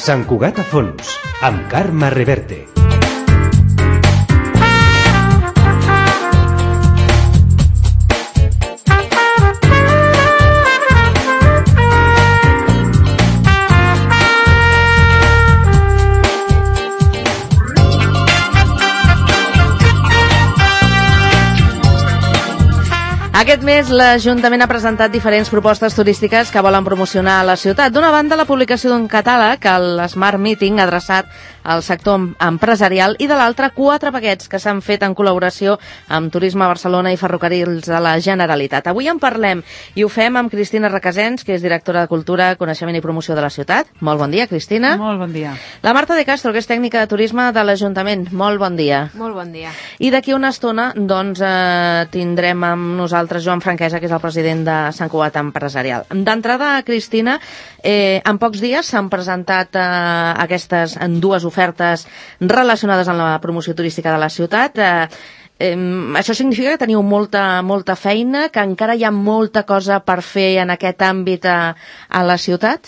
Sant Cugat a fons, amb Carme Reverte. Aquest mes l'Ajuntament ha presentat diferents propostes turístiques que volen promocionar la ciutat. D'una banda, la publicació d'un catàleg, el Smart Meeting, adreçat al sector empresarial, i de l'altra, 4 paquets que s'han fet en col·laboració amb Turisme Barcelona i Ferrocarrils de la Generalitat. Avui en parlem i ho fem amb Cristina Requesens, que és directora de Cultura, Coneixement i Promoció de la ciutat. Molt bon dia, Cristina. Molt bon dia. La Marta de Castro, que és tècnica de turisme de l'Ajuntament. Molt bon dia. Molt bon dia. I d'aquí una estona, doncs, tindrem amb nosaltres Joan Franquesa, que és el president de Sant Cugat Empresarial. D'entrada, Cristina, en pocs dies s'han presentat aquestes dues ofertes relacionades amb la promoció turística de la ciutat. Això significa que teniu molta feina, que encara hi ha molta cosa per fer en aquest àmbit a la ciutat?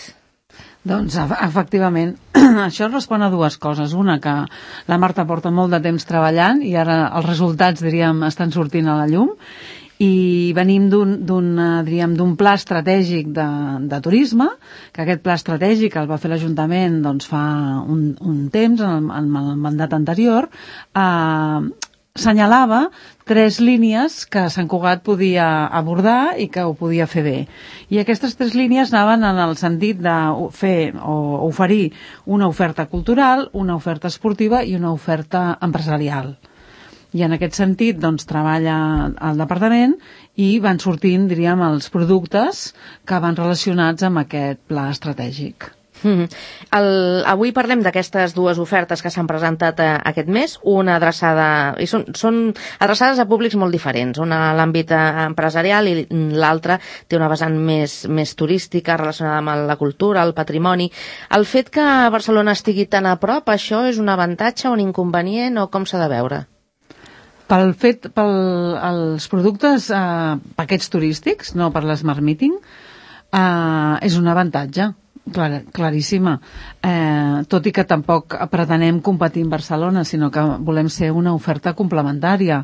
Doncs, efectivament, això respon a dues coses. Una, que la Marta porta molt de temps treballant i ara els resultats, diríem, estan sortint a la llum, i venim d'un pla estratègic de turisme, que aquest pla estratègic el va fer l'Ajuntament doncs, fa un temps, en el mandat anterior, assenyalava 3 línies que Sant Cugat podia abordar i que ho podia fer bé. I aquestes 3 línies anaven en el sentit de fer o oferir una oferta cultural, una oferta esportiva i una oferta empresarial. I en aquest sentit doncs, treballa el departament i van sortint, diríem, els productes que van relacionats amb aquest pla estratègic. Avui parlem d'aquestes dues ofertes que s'han presentat aquest mes, una adreçada, i són adreçades a públics molt diferents, una a l'àmbit empresarial i l'altra té una vessant més turística relacionada amb la cultura, el patrimoni. El fet que Barcelona estigui tan a prop, això és un avantatge o un inconvenient o com s'ha de veure? Els productes, paquets turístics, no per l'Smart Meeting, és un avantatge, claríssima. Tot i que tampoc pretenem competir en Barcelona, sinó que volem ser una oferta complementària.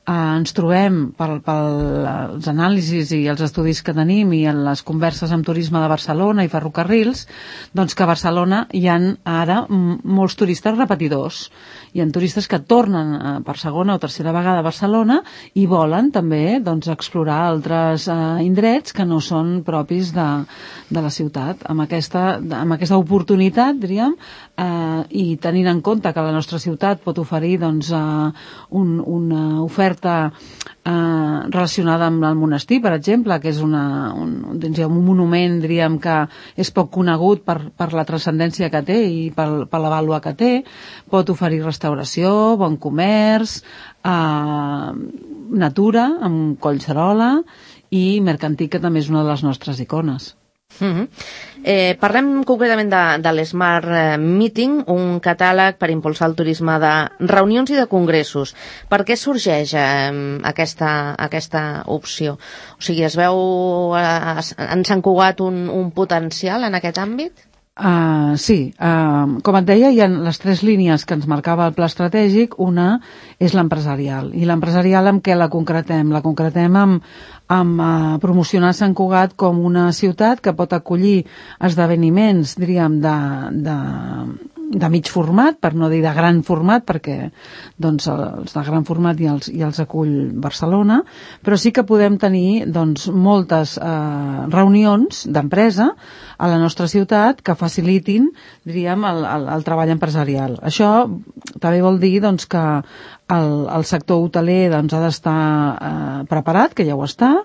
Ens trobem, pels anàlisis i els estudis que tenim i en les converses amb Turisme de Barcelona i Ferrocarrils, doncs que a Barcelona hi ha ara molts turistes repetidors. Hi ha turistes que tornen per segona o tercera vegada a Barcelona i volen també doncs, explorar altres indrets que no són propis de la ciutat. Amb aquesta oportunitat, diríem, i tenint en compte que la nostra ciutat pot oferir doncs, una oferta relacionada amb el monestir, per exemple, que és un monument, diríem, que és poc conegut per la transcendència que té i per la vàlua que té. Pot oferir restauració, bon comerç, natura, amb Collserola, i Mercantic, que també és una de les nostres icones. Parlem concretament de l'Smart Meeting, un catàleg per impulsar el turisme de reunions i de congressos. Per què sorgeix aquesta opció? O sigui, es veu en Sant Cugat un potencial en aquest àmbit? Sí, com et deia, hi ha les 3 línies que ens marcava el pla estratègic. Una és l'empresarial. I l'empresarial amb què la concretem? La concretem amb promocionar Sant Cugat com una ciutat que pot acollir esdeveniments, diríem, de mig format, per no dir de gran format, perquè doncs, els de gran format ja els acull Barcelona, però sí que podem tenir doncs, moltes reunions d'empresa a la nostra ciutat que facilitin, diríem, el treball empresarial. Això també vol dir doncs, que el sector hoteler doncs, ha d'estar preparat, que ja ho està.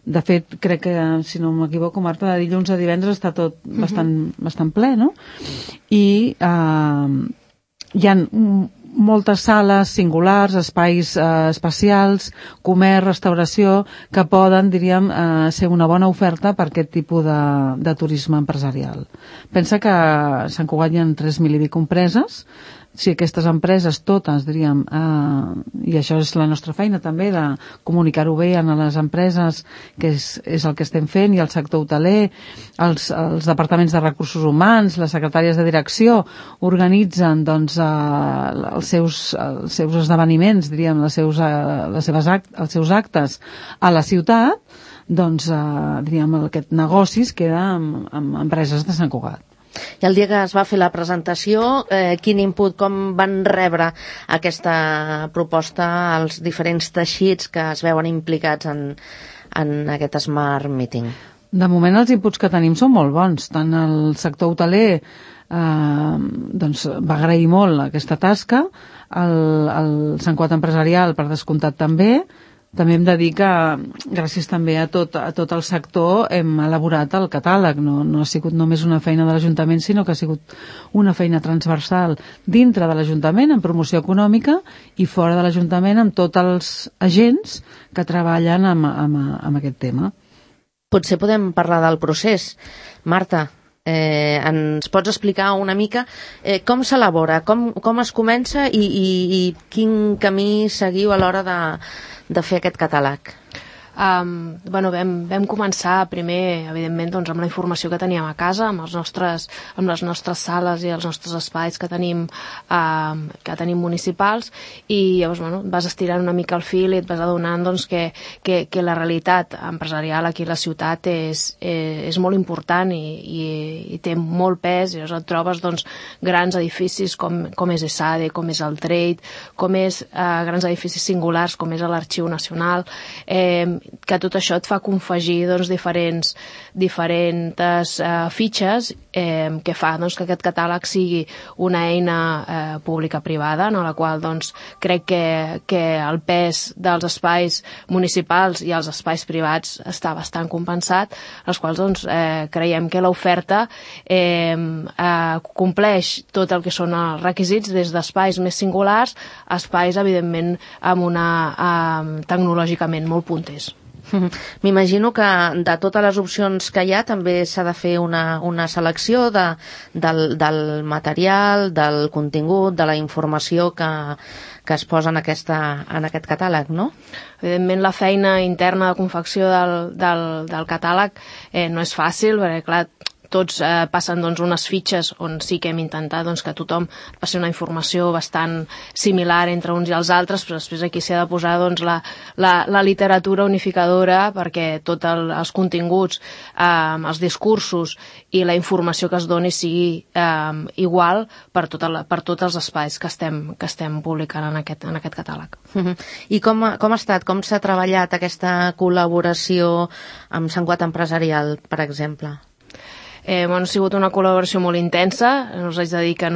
De fet, crec que, si no m'equivoco, Marta, de dilluns a divendres està tot bastant ple, no? I hi ha moltes sales singulars, espais especials, comerç, restauració, que poden, diríem, ser una bona oferta per aquest tipus de turisme empresarial. Pensa que a Sant Cugat hi ha 3.000 i escaig empreses, si aquestes empreses totes, diríem, i això és la nostra feina també, de comunicar-ho bé a les empreses, que és el que estem fent, i el sector hoteler, els departaments de recursos humans, les secretàries de direcció, organitzen doncs, els seus esdeveniments, diríem, els seus actes a la ciutat, doncs, diríem, aquest negoci es queda amb empreses de Sant Cugat. I el dia que es va fer la presentació, quin input, com van rebre aquesta proposta als diferents teixits que es veuen implicats en aquest Smart Meeting? De moment els inputs que tenim són molt bons. Tant el sector hoteler doncs, va agrair molt aquesta tasca, el Sant Cugat empresarial per descomptat també. També hem de dir que gràcies també a tot el sector hem elaborat el catàleg. No ha sigut només una feina de l'Ajuntament, sinó que ha sigut una feina transversal dintre de l'Ajuntament en promoció econòmica i fora de l'Ajuntament amb tots els agents que treballen amb aquest tema. Potser podem parlar del procés. Marta, ens pots explicar una mica com s'elabora, com es comença i quin camí seguiu a l'hora de fer aquest catàleg? Vam començar primer, evidentment, doncs, amb la informació que teníem a casa, amb les nostres sales i els nostres espais que tenim municipals, i llavors vas estirant una mica el fil i et vas adonant doncs, que la realitat empresarial aquí a la ciutat és molt important i té molt pes, i llavors et trobes doncs, grans edificis com és ESADE, com és el Trade, com és grans edificis singulars com és l'Arxiu Nacional, que tot això et fa confegir doncs, diferents fitxes que fa doncs, que aquest catàleg sigui una eina pública-privada, en la qual doncs, crec que el pes dels espais municipals i els espais privats està bastant compensat, els quals doncs, creiem que l'oferta compleix tot el que són els requisits, des d'espais més singulars a espais, evidentment, tecnològicament molt punters. M'imagino que de totes les opcions que hi ha també s'ha de fer una selecció del material, del contingut, de la informació que es posa en aquest catàleg, no? Evidentment, la feina interna de confecció del catàleg no és fàcil, perquè, clar, tots passen doncs, unes fitxes on sí que hem intentat doncs, que tothom passi una informació bastant similar entre uns i els altres, però després aquí s'ha de posar doncs, la literatura unificadora perquè tots els continguts, els discursos i la informació que es doni sigui igual per tots els espais que estem publicant en aquest catàleg. I com ha estat, com s'ha treballat aquesta col·laboració amb Sant Cugat Empresarial, per exemple? Ha sigut una col·laboració molt intensa, us haig de dir que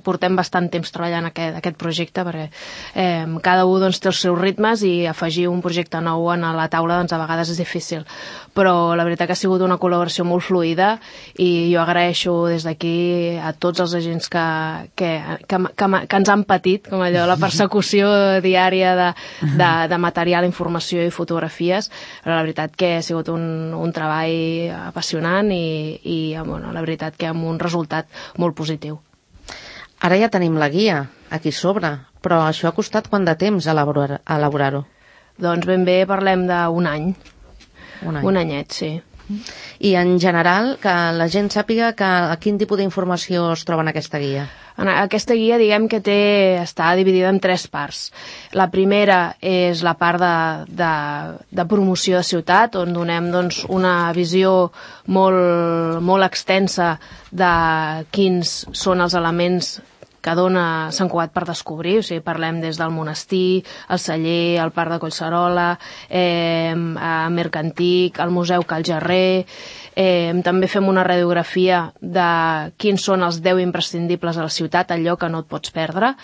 portem bastant temps treballant aquest projecte, perquè cada un doncs, té els seus ritmes i afegir un projecte nou a la taula doncs, a vegades és difícil, però la veritat que ha sigut una col·laboració molt fluida i jo agraeixo des d'aquí a tots els agents que ens han patit, com allò, la persecució diària de material, informació i fotografies, però la veritat que ha sigut un treball apassionant i la veritat que amb un resultat molt positiu. Ara ja tenim la guia aquí sobre, però això ha costat quant de temps elaborar-ho? Doncs ben bé parlem d'un any. Un anyet, sí. I en general, que la gent sàpiga quin tipus d'informació es troba en aquesta guia? Aquesta guia, diguem que està dividida en 3 parts. La primera és la part de promoció de ciutat, on donem doncs, una visió molt extensa de quins són els elements que dona Sant Cugat per descobrir, o sigui, parlem des del monestir, el celler, el parc de Collserola, Mercantic, el museu Cal Gerrer, també fem una radiografia de quins són els 10 imprescindibles a la ciutat, allò que no et pots perdre.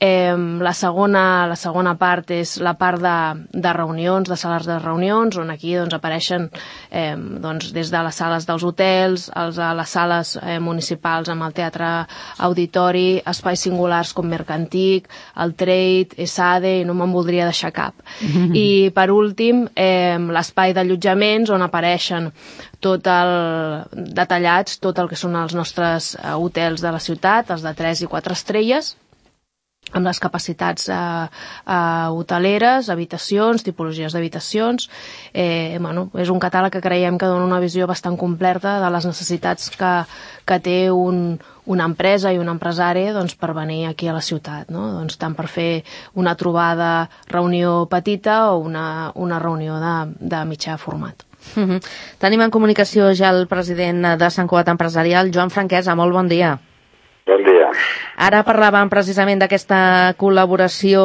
La segona part és la part de reunions, de sales de reunions, on aquí doncs, apareixen des de les sales dels hotels, a les sales municipals amb el teatre auditori, espais singulars com Mercantic, el Trade, ESADE, i no me'n voldria deixar cap. I per últim, l'espai d'allotjaments on apareixen detallats tot el que són els nostres hotels de la ciutat, els de 3 i 4 estrelles, amb les capacitats hoteleres, habitacions, tipologies d'habitacions. És un catàleg que creiem que dona una visió bastant completa de les necessitats que té una empresa i un empresari per venir aquí a la ciutat, tant per fer una trobada, reunió petita o una reunió de mitjà format. Tenim en comunicació ja el president de Sant Cugat Empresarial, Joan Franquesa. Molt bon dia. Bon dia. Ara parlàvem precisament d'aquesta col·laboració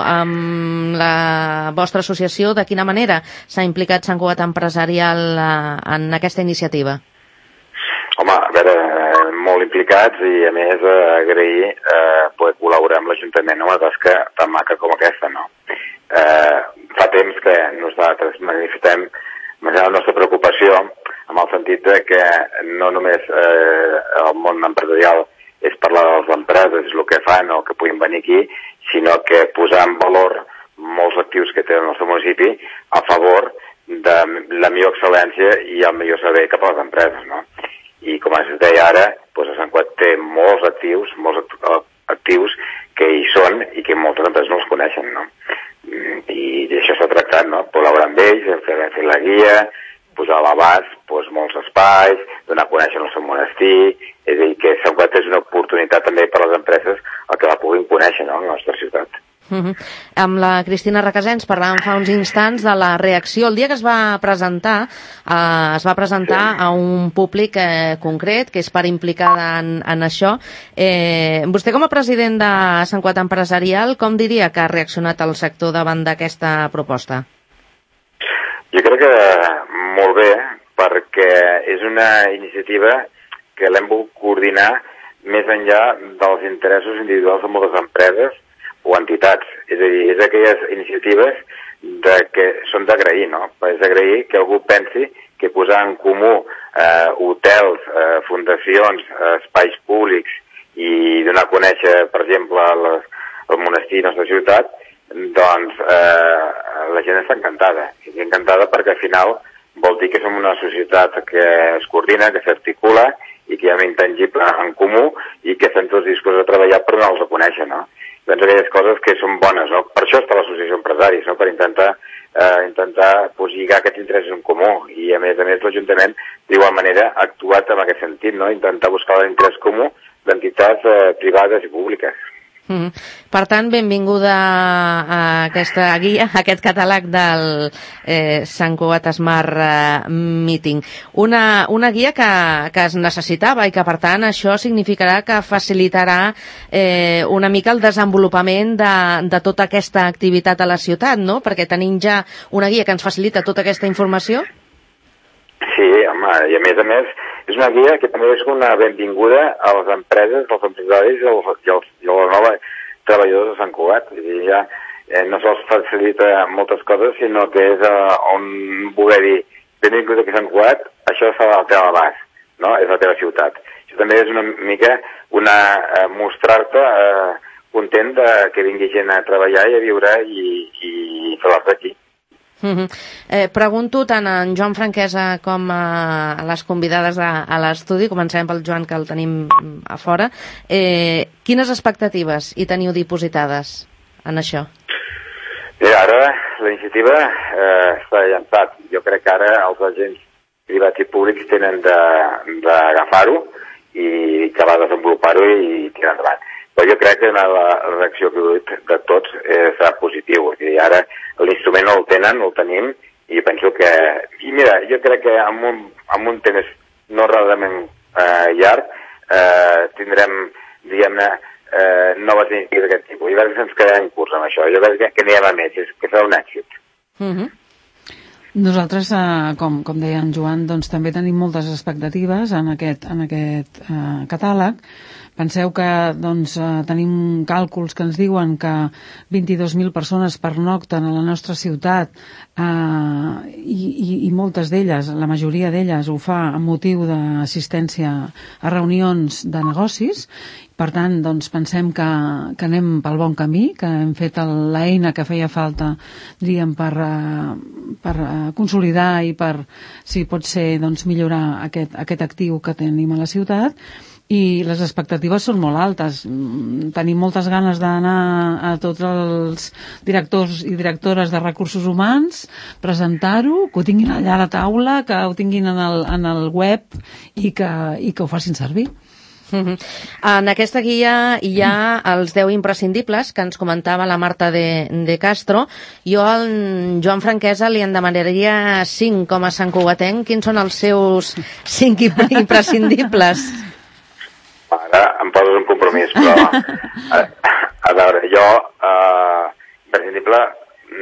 amb la vostra associació. De quina manera s'ha implicat Sant Cugat Empresarial en aquesta iniciativa? Home, a veure, molt implicats i a més agrair poder col·laborar amb l'Ajuntament en una tasca tan maca com aquesta, no? Fa temps que nosaltres manifestem la nostra preocupació en el sentit de que no només el món empresarial és parlar de les empreses, és el que fan o que puguin venir aquí, sinó que posar en valor molts actius que té el nostre municipi a favor de la millor excel·lència i el millor servei cap a les empreses, no? I com es deia ara, doncs a Sant Cugat té molts actius que hi són i que moltes empreses no els coneixen, no? I això s'ha tractat, no? Col·laborar amb ells, fer la guia, posar a l'abast molts espais, donar a conèixer el seu monestir, és a dir, que Sant Cugat és una oportunitat també per a les empreses el que la puguin conèixer, no?, a la nostra ciutat. Amb la Cristina Requesens parlàvem fa uns instants de la reacció. El dia que es va presentar a un públic concret, que és part implicada en això. Vostè, com a president de Sant Cugat Empresarial, com diria que ha reaccionat el sector davant d'aquesta proposta? Jo crec que molt bé, perquè és una iniciativa que l'hem volgut coordinar més enllà dels interessos individuals de moltes empreses o entitats. És a dir, és aquelles iniciatives que són d'agrair, no? És d'agrair que algú pensi que posar en comú hotels, fundacions, espais públics i donar a conèixer, per exemple, el monestir de la nostra ciutat, doncs la gent està encantada. Està encantada perquè al final vol dir que som una societat que es coordina, que s'articula i que hi ha un intangible en comú i que estem tots disposats a treballar per donar-los a conèixer, no? Doncs aquelles coses que són bones, no? Per això està l'associació d'empresaris, no? Per intentar lligar aquests interessos en comú. I a més l'Ajuntament d'igual manera ha actuat en aquest sentit, no? Intentar buscar l'interès comú d'entitats privades i públiques. Per tant, benvinguda a aquesta guia, a aquest catàleg del Sant Cugat Smart Meeting. Una guia que es necessitava i que, per tant, això significarà que facilitarà una mica el desenvolupament de tota aquesta activitat a la ciutat, no? Perquè tenim ja una guia que ens facilita tota aquesta informació. Sí, home, i a més, és una guia que també és una benvinguda a les empreses, als empresaris i als nous treballadors de Sant Cugat. Ja no sols facilita moltes coses, sinó que és on voler dir benvingut aquí a Sant Cugat, això està al teu abast, no? És la teva ciutat. Això també és una mica mostrar-te content que vingui gent a treballar i a viure i fer-la aquí. Pregunto tant a en Joan Franquesa com a les convidades a l'estudi, comencem pel Joan, que el tenim a fora. Quines expectatives hi teniu dipositades en això? Ara la iniciativa està llançat. Jo crec que ara els agents privats i públics tenen d'agafar-ho i que va desenvolupar-ho i tirar endavant. Però jo crec que la reacció que de tots serà positiu. I ara l'instrument no el tenen, el tenim, i penso que... I mira, jo crec que amb un temps no realment llarg tindrem, diguem-ne, noves iniciatives d'aquest tipus. Jo crec que ens quedarem curts amb això. Jo crec que anirem a més, que serà un èxit. Nosaltres, com deia en Joan, doncs també tenim moltes expectatives en aquest catàleg. Penseu que tenim càlculs que ens diuen que 22.000 persones pernocten a la nostra ciutat i moltes d'elles, la majoria d'elles, ho fa amb motiu d'assistència a reunions de negocis. Per tant, pensem que anem pel bon camí, que hem fet l'eina que feia falta, diríem, per consolidar i per, si pot ser, millorar aquest actiu que tenim a la ciutat. I les expectatives són molt altes. Tenim moltes ganes d'anar a tots els directors i directores de recursos humans, presentar-ho, que ho tinguin allà a la taula, que ho tinguin en el web i que ho facin servir. En aquesta guia hi ha els 10 imprescindibles que ens comentava la Marta de Castro. Jo al Joan Franquesa li en demanaria 5 com a santcugatenc. Quins són els seus 5 imprescindibles? Ara em poses un compromís, però a veure, jo imprescindible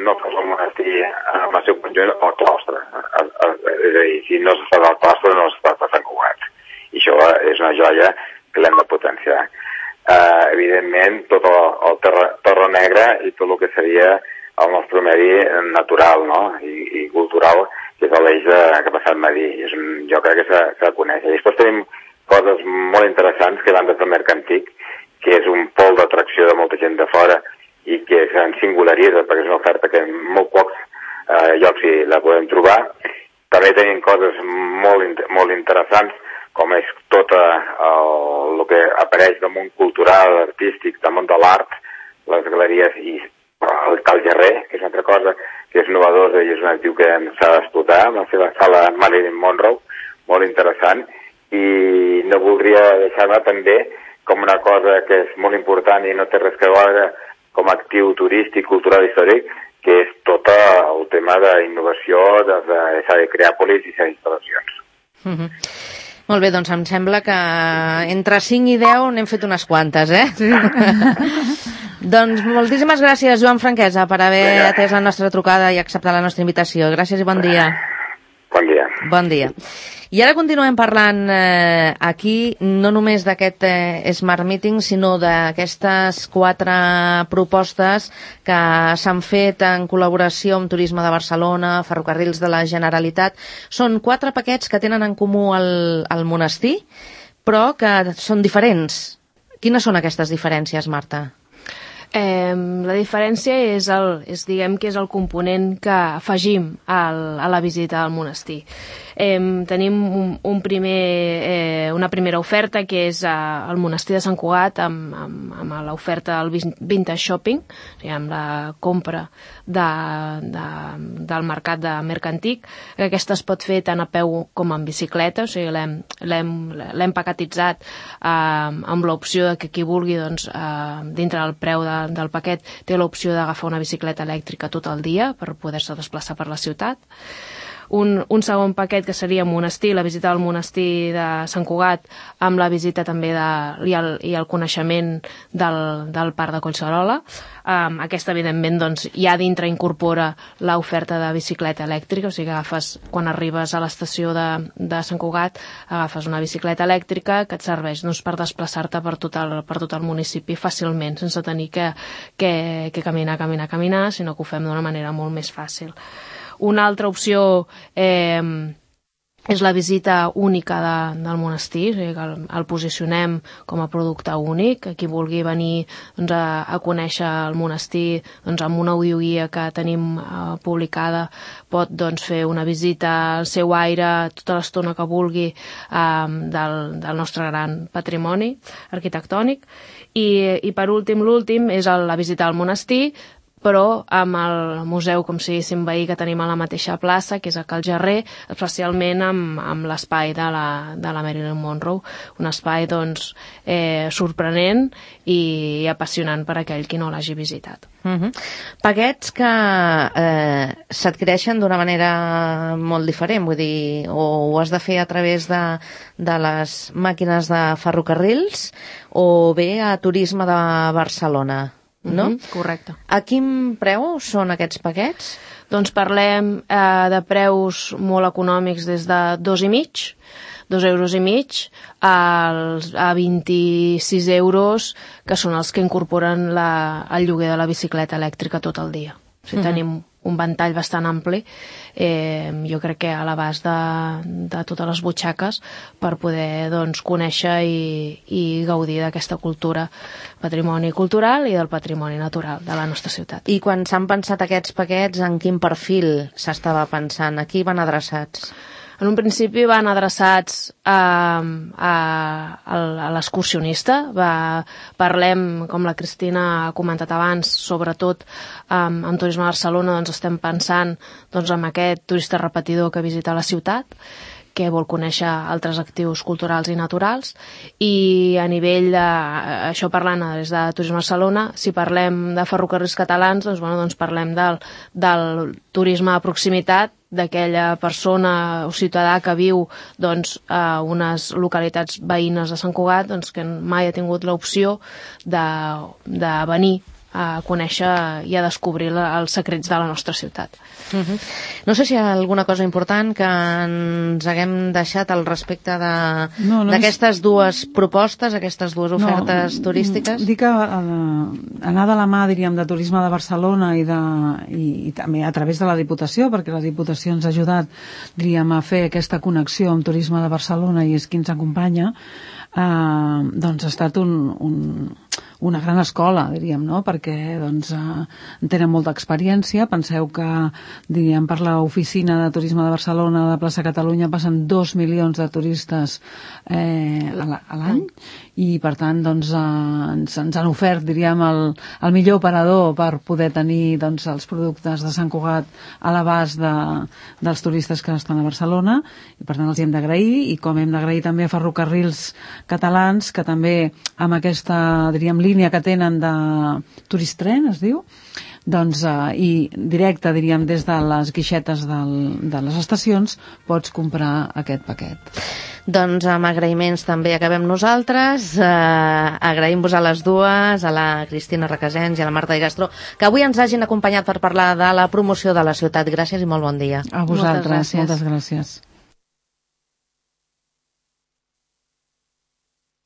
no fos el monestir en el seu conjunt o el claustre. És a dir, si no s'està del claustre no s'està de Sant Cugat. I això és una joia que l'hem de potenciar. Evidentment, tot el terra negra i tot el que seria el nostre medi natural, no? I cultural, que és l'eix que ha passat Madí. Jo crec que s'ha de conèixer. I després tenim coses molt interessants que van des del Mercantic, que és un pol d'atracció de molta gent de fora i que se'n singularitza perquè és una oferta que en molt pocs llocs la podem trobar. També tenim coses molt interessants, com és tot el que apareix del món cultural, artístic, del món de l'art, les galeries i el Cal Gerrer, que és una altra cosa que és novedosa i és un actiu que s'ha d'explotar, amb la seva sala Marilyn Monroe, molt interessant. I no voldria deixar-me també com una cosa que és molt important i no té res que veure com a actiu turístic, cultural i històric, que és tot el tema d'innovació, de Creàpolis i de instal·lacions. Molt bé, doncs em sembla que entre 5 i 10 n'hem fet unes quantes, Sí. Doncs moltíssimes gràcies, Joan Franquesa, per haver atès la nostra trucada i acceptat la nostra invitació. Gràcies i bon dia. Bon dia. Bon dia. I ara continuem parlant aquí no només d'aquest Smart Meeting, sinó d'aquestes 4 propostes que s'han fet en col·laboració amb Turisme de Barcelona, Ferrocarrils de la Generalitat. Són 4 paquets que tenen en comú el monestir, però que són diferents. Quines són aquestes diferències, Marta? La diferència és el component que afegim a la visita al monestir. Tenim una primera oferta que és el monestir de Sant Cugat amb l'oferta del Vintage Shopping, o sigui, amb la compra del mercat de Mercantic, que aquesta es pot fer tant a peu com en bicicleta, o sigui, l'hem paquetitzat amb l'opció que qui vulgui, dintre del preu del paquet, té l'opció d'agafar una bicicleta elèctrica tot el dia per poder-se desplaçar per la ciutat. Un segon paquet que seria monestir, la visita al monestir de Sant Cugat, amb la visita també i el coneixement del parc de Collserola. Aquesta, evidentment, ja dintre incorpora l'oferta de bicicleta elèctrica, o sigui que quan arribes a l'estació de Sant Cugat, agafes una bicicleta elèctrica que et serveix per desplaçar-te per tot el municipi fàcilment, sense tenir que caminar, sinó que ho fem d'una manera molt més fàcil. Una altra opció és la visita única del monestir, o sigui que el posicionem com a producte únic. Qui vulgui venir a conèixer el monestir amb una audioguia que tenim publicada pot fer una visita al seu aire tota l'estona que vulgui del nostre gran patrimoni arquitectònic. I per últim, l'últim és la visita al monestir, però amb el museu, com si diguéssim, veí que tenim a la mateixa plaça, que és a Cal Gerrer, especialment amb l'espai de la Marilyn Monroe, un espai sorprenent i apassionant per aquell qui no l'hagi visitat. Paquets que s'adquireixen d'una manera molt diferent, vull dir, o ho has de fer a través de les màquines de ferrocarrils o bé a Turisme de Barcelona, no? Correcte. A quin preu són aquests paquets? doncs parlem de preus molt econòmics des de 2,5 €, a 26 €, que són els que incorporen el lloguer de la bicicleta elèctrica tot el dia. O sigui, tenim un ventall bastant ampli, jo crec que a l'abast de totes les butxaques, per poder conèixer i gaudir d'aquesta cultura, patrimoni cultural i del patrimoni natural de la nostra ciutat. I quan s'han pensat aquests paquets, en quin perfil s'estava pensant? A qui van adreçats? En un principi van adreçats a l'excursionista. Parlem, com la Cristina ha comentat abans, sobretot en Turisme de Barcelona, estem pensant en aquest turista repetidor que visita la ciutat, que vol conèixer altres actius culturals i naturals, i a nivell això parlant des de Turisme Barcelona, si parlem de ferrocarrils catalans, doncs parlem del turisme de proximitat, d'aquella persona o ciutadà que viu a unes localitats veïnes de Sant Cugat, que mai ha tingut l'opció de venir a conèixer i a descobrir els secrets de la nostra ciutat. No sé si hi ha alguna cosa important que ens haguem deixat al respecte d'aquestes dues propostes, aquestes dues ofertes turístiques. Dic que anar de la mà, diríem, de Turisme de Barcelona i també a través de la Diputació, perquè la Diputació ens ha ajudat, diríem, a fer aquesta connexió amb Turisme de Barcelona i és qui ens acompanya, ha estat una gran escola, diríem, no? Perquè en tenen molta experiència. Penseu que, diríem, per l'oficina de Turisme de Barcelona de Plaça Catalunya passen 2 milions de turistes a l'any, i per tant ens han ofert, diríem, el millor operador per poder tenir els productes de Sant Cugat a l'abast dels turistes que estan a Barcelona, i per tant els hi hem d'agrair, i com hem d'agrair també a Ferrocarrils Catalans, que també amb aquesta, diríem, línia que tenen de Turistren, es diu, i directe, diríem, des de les guixetes de les estacions pots comprar aquest paquet. Doncs amb agraïments també acabem nosaltres. Agraïm-vos a les dues, a la Cristina Requesens i a la Marta Igastro, que avui ens hagin acompanyat per parlar de la promoció de la ciutat. Gràcies i molt bon dia. A vosaltres, moltes gràcies.